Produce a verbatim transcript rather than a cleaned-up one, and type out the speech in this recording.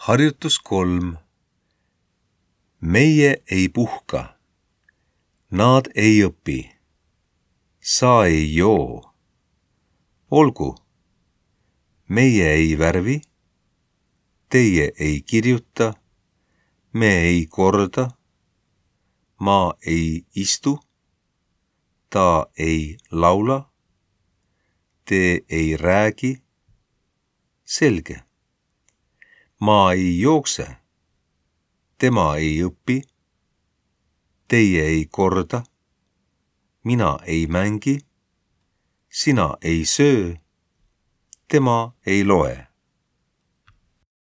Harjutus kolm. Meie ei puhka. Nad ei õpi. Sa ei joo. Olgu. Meie ei värvi. Teie ei kirjuta. Me ei korda. Ma ei istu. Ta ei laula. Te ei räägi. Selge. Ma ei jookse. Tema ei õpi. Teie ei korda. Mina ei mängi. Sina ei söö. Tema ei loe.